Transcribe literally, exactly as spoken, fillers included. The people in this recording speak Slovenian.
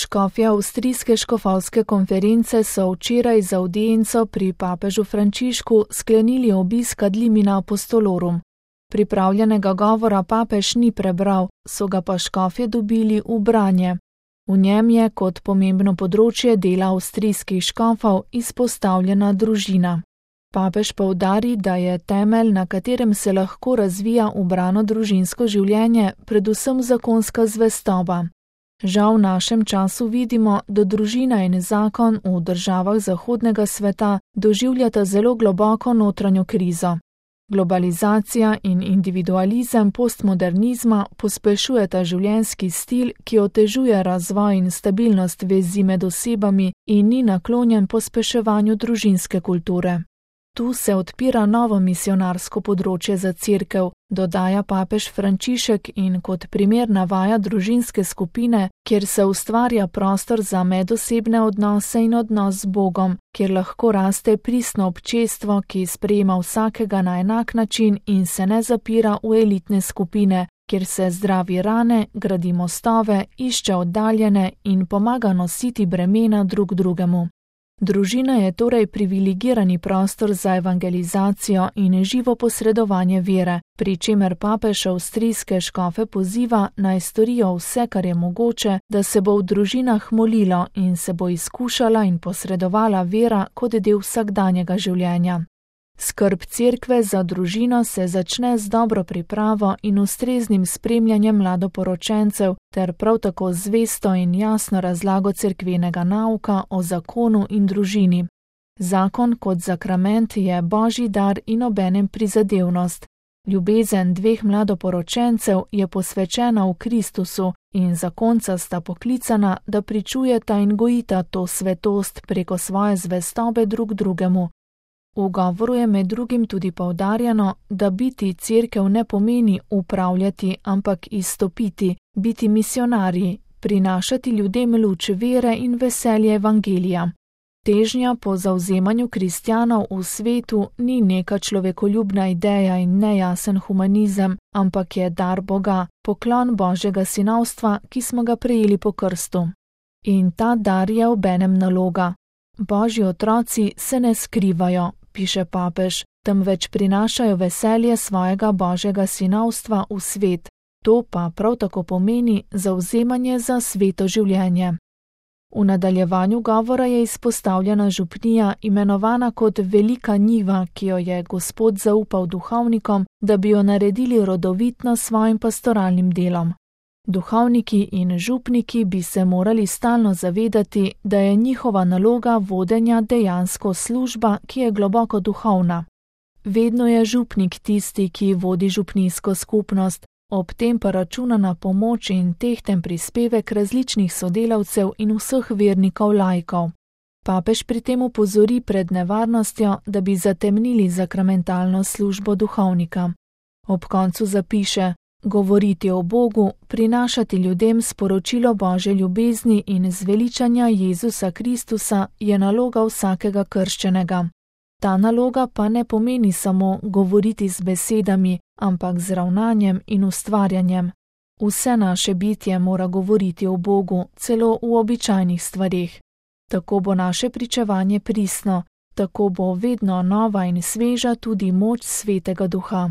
Škofje avstrijske škofovske konference so včeraj za avdienco pri papežu Frančišku sklenili obisk ad limina apostolorum. Pripravljenega govora papež ni prebral, so ga pa škofje dobili v branje. V njem je kot pomembno področje dela avstrijskih škofov izpostavljena družina. Papež poudari, da je temelj, na katerem se lahko razvija ubrano družinsko življenje, predvsem zakonska zvestoba. Žal v našem času vidimo, da družina in zakon v državah zahodnega sveta doživljata zelo globoko notranjo krizo. Globalizacija in individualizem postmodernizma pospešujeta življenjski stil, ki otežuje razvoj in stabilnost vezi med osebami in ni naklonjen pospeševanju družinske kulture. Tu se odpira novo misionarsko področje za cerkev, dodaja papež Frančišek in kot primer navaja družinske skupine, kjer se ustvarja prostor za medosebne odnose in odnos z Bogom, kjer lahko raste pristno občestvo, ki sprejema vsakega na enak način in se ne zapira v elitne skupine, kjer se zdravi rane, gradi mostove, išče oddaljene in pomaga nositi bremena drug drugemu. Družina je torej privilegirani prostor za evangelizacijo in živo posredovanje vere, pri čemer papež avstrijske škofe poziva, naj storijo vse, kar je mogoče, da se bo v družinah molilo in se bo izkušala in posredovala vera kot del vsakdanjega življenja. Skrb cerkve za družino se začne z dobro pripravo in ustreznim spremljanjem mladoporočencev ter prav tako zvesto in jasno razlago cerkvenega nauka o zakonu in družini. Zakon kot zakrament je božji dar in obenem prizadevnost. Ljubezen dveh mladoporočencev je posvečena v Kristusu in zakonca sta poklicana, da pričujeta in gojita to svetost preko svoje zvestobe drug drugemu. V govoru je med drugim tudi poudarjeno, da biti cerkev ne pomeni upravljati, ampak izstopiti, biti misionarji, prinašati ljudem luč vere in veselje evangelija. Težnja po zavzemanju kristjanov v svetu ni neka človekoljubna ideja in nejasen humanizem, ampak je dar Boga, poklon Božjega sinovstva, ki smo ga prejeli po krstu. In ta dar je obenem naloga. Božji otroci se ne skrivajo, piše papež, temveč prinašajo veselje svojega Božjega sinovstva v svet. To pa prav tako pomeni zavzemanje za sveto življenje. V nadaljevanju govora je izpostavljena župnija, imenovana kot velika njiva, ki jo je Gospod zaupal duhovnikom, da bi jo naredili rodovitno svojim pastoralnim delom. Duhovniki in župniki bi se morali stalno zavedati, da je njihova naloga vodenja dejansko služba, ki je globoko duhovna. Vedno je župnik tisti, ki vodi župnijsko skupnost, ob tem pa računa na pomoč in tehten prispevek različnih sodelavcev in vseh vernikov laikov. Papež pri tem opozori pred nevarnostjo, da bi zatemnili zakramentalno službo duhovnika. Ob koncu zapiše: govoriti o Bogu, prinašati ljudem sporočilo Božje ljubezni in zveličanja Jezusa Kristusa je naloga vsakega krščenega. Ta naloga pa ne pomeni samo govoriti z besedami, ampak z ravnanjem in ustvarjanjem. Vse naše bitje mora govoriti o Bogu, celo v običajnih stvareh. Tako bo naše pričevanje pristno, tako bo vedno nova in sveža tudi moč Svetega Duha.